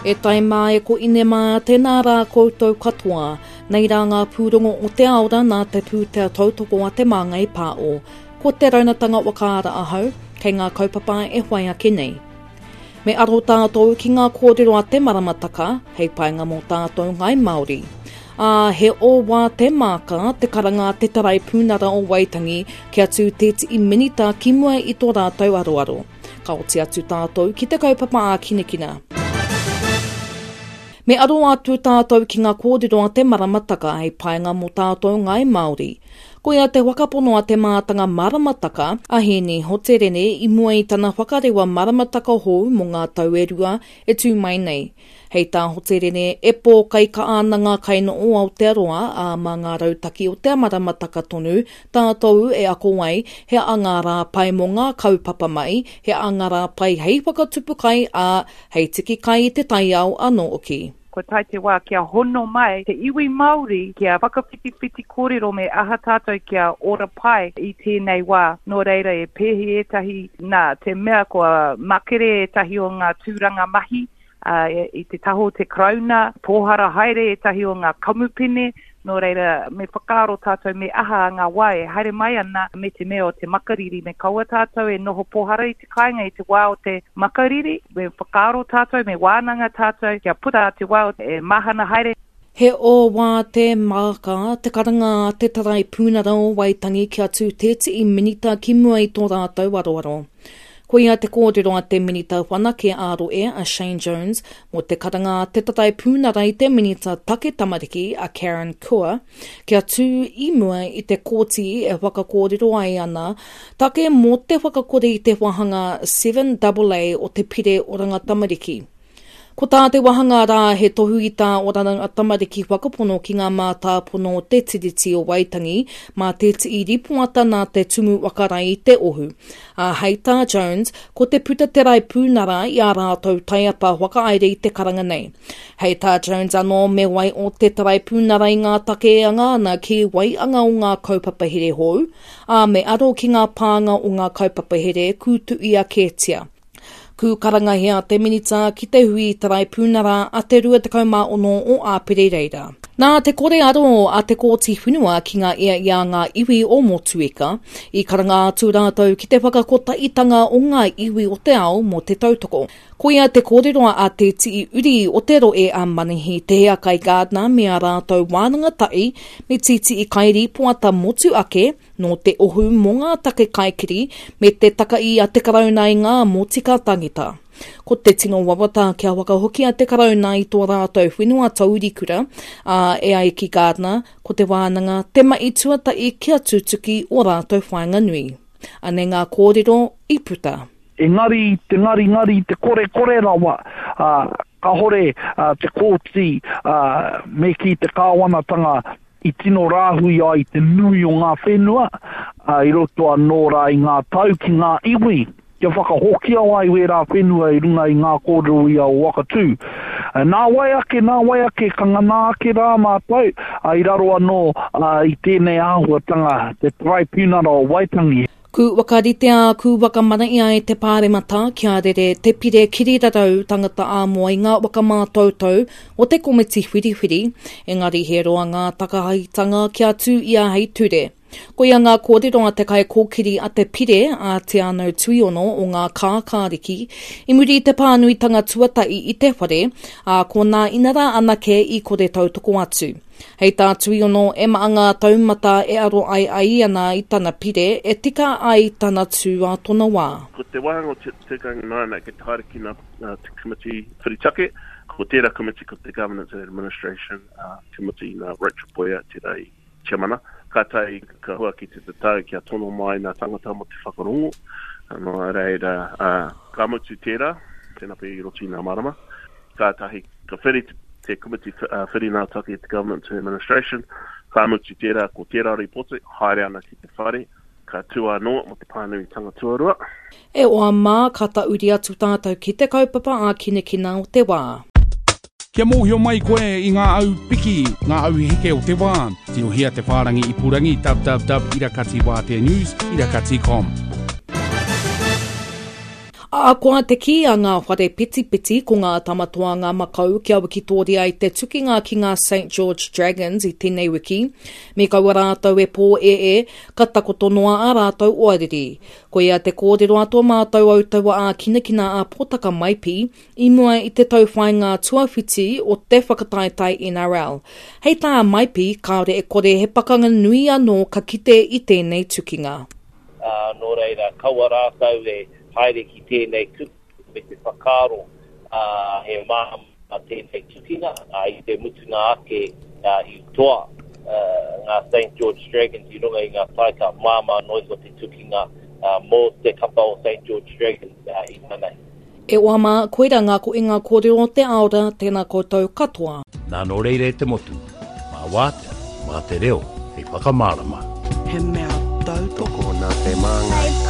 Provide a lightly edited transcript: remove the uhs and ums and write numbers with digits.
E tai mā, e ko ine mā, tēnā rā koutou katoa. Nei rā ngā pūrongo o te aora nā te pūtea tautoko a Te Māngai Pāo. Ko te raunatanga whakaara ahau, kei ngā kaupapa e whai ake nei. Me aro tātou ki ngā kōrero a te maramataka hei painga mō tātou Ngāi Māori. Ā, he ōwā te māka, te karanga a te Taraipunara o Waitangi kia tū tētihi minita ki mua i tō rātou aroaro. Ka oti atu tātou ki te kaupapa ākinakina. Me aro atu tātou ki ngā kōrero a te maramataka hei painga mō tātou Ngāi Māori. Koia te whakapono a te mātanga maramataka, a Hēni Hoterene i mua i tana whakarewa maramataka hou mō ngā tau e rua e tū mai nei. Hei tā Hoterene, e pōkaikaha ana ngā kaino o Aotearoa, ā, mā ngā rautaki o te maramataka tonu tātou e ako ai he aha ngā rā pai mō ngā kaupapa mahi, he aha ngā rā pai hei whakatupu kai, ā, hei tiki kai i te taiao anō hoki. Kua tae te wā kia hono mai te iwi Māori kia whakawhitiwhiti kōrero me aha tātou kia ora pai i tēnei wā. Nō reira e pēhi ētahi nā te mea kua makere ētahi o ngā tūranga mahi i te taha o te Karauna, pōhara haere ētahi o ngā kamupene, Nō reira, me whakaaro tātou me aha ngā wā e haere mai ana me te mea o te makariri, me kaua tātou e noho pōhara i te kāinga i te wā o te makariri, me whakaaro tātou, me wānanga tātou kia puta te wā e mahana haere. He ōwā te māka, te karanga a te Taraipunara o Waitangi kia tū tētihi minita ki mua i tō rātou aroaro. Koia te kōrero a te Minita Whanake ā-Rohe a Shane Jones mō te karanga a te Taraipunara i te Minita Take Tamariki a Karen Chhour kia tū i mua i te kōti e whakakōrero ai ana take mō te whakakore i te wāhanga 7AA o te Pire Oranga Tamariki. Ko tā te wāhanga rā he tohu i tā Oranga Tamariki whakapono ki ngā mātāpono o Te Tiriti o Waitangi mā te tii ripoata nā te Tumu Whakarae i te ohu. Ā, hei tā Jones, ko te puta te raipūnara i ā rātou taiapa whakahaere i te karanga nei. Hei tā Jones anō me wai o te taraipūnara i ngā take e anga ana ki waianga o ngā kaupapa here hou, ā, me aro ki ngā pānga o ngā kaupapa here kūtuia kētia. Kū karangahia te Minita ki te hui Taraipunara a te 26 o Āpere reira. Nā te kore aro a te Kōti Whenua ki ngā ia i a ngā iwi o Motueka, i karanga atu rātou ki te whakakotahitanga o ngā iwi o te ao mō te tautoko. Koia te kōrero a Te Tii Uri o te rohe a Manihi Te Hiakai Gardiner me ā rātou wānanga tahi me Tītii Kairīpoata motu ake, Nō te ohu mō ngā take kaikiri me te takaī a te Karauna i ngā motika tangita. Ko te tino wawata kia whakahokia te Karauna i tō rātou whenua taurikura, ā, e ai ki Gardiner, ko te wānanga te mahi tuatahi kia tutuki ō rātou whāinga nui. Anei ngā kōrero i puta. Engari te ngaringari, te korekore rawa, ā, kahore te kōti, ā, me kī te kāwanatanga i tino rāhui ai te nui o ngā whenua, ā, i roto anō rā i ngā tau ki ngā iwi, kia whakahokia ai wērā whenua i runga i ngā kōrero ia o Wakatū. Nā wai ake, nā wai ake, ka ngana ake rā mātou, ā, i raro anō i tēnei āhuatanga, te Taraipiunara o Waitangi. Ku whakaritea, ku whakamanaia e te Pāremata kia rere te pire kirirarau tangata ā-moa i ngā whakamātautau o te komiti whiriwhiri, engari he roa ngā takahitanga kia tū ia hei ture. Koia ngā kōrero a te kaikōkiri a te pire, a Te Anau Tuiono o Ngā Kākāriki, i muri i te pānuitanga tuatahi i te whare, ā, ko nā inarā anake i kore tautoko atu. Hei tā Tuiono, e maha ngā taumata e aro ai a ia nā i tana pire e tika ai tana tū ā tona wā. Ko te wāhanga o te tikanga nāna kei te haere ki ngā te komiti whiri take, ko tērā komiti ko te Governance and Administration Committee nā Rachel Boyer tērā i tiamana. Kātahi ka hua ki te tatau kia tono mai ngā tangata mō te whakarongo, nō reira ka mutu tērā, tēnā pea i roto i ngā marama. Kātahi ka whiri te Komiti Whiri Ngā Take, te Government to Administration, ka mutu tērā, ko tērā rīpoti, haere ana ki te whare, ka tū anō mō te pānuitanga tuarua. E oa mā, ka tauri atu tātou ki te kaupapa ākinakina o te wā. Kia mōhio mai koe i ngā au piki, ngā au heke o te wā, tirohia te whārangi ipurangi www irakatiwāteanews irakati com. Ahakoa te kī a ngā whare petipeti ko ngā Tamatoa ngā makau kia wikitōria i te tukinga ki ngā Saint George Dragons i tēnei wiki, me kaua rātou e pōēē, ka takoto noa ā rātou oariri. Koia te kōrero a tō mātou autaua ākinakina a Potaka Maipi i mua i te tauwhāinga tuawhiti o te whakataetae NRL. Hei tā Maipi, kāore e kore he pakanga nui anō ka kite i tēnei tukinga. Ā, nō reira, kaua rātou e haere ki tēnei kupu me te whakaaro, ā, he māmā tēnei tukinga, ā, i te mutunga ake, ā, i toa, ā, ngā Saint George Dragons i runga i ngā taika māmā noa iho te tukinga, ā, mō te kapa o Saint George Dragons, ā, i nanahi. E hoa mā, koira ngā koinga kōrero o te aora, tēnā koutou katoa. Nā nō reira e te motu, mā wātea, mā te reo hei whakamārama. He mea tautoko. Tokona te māngai.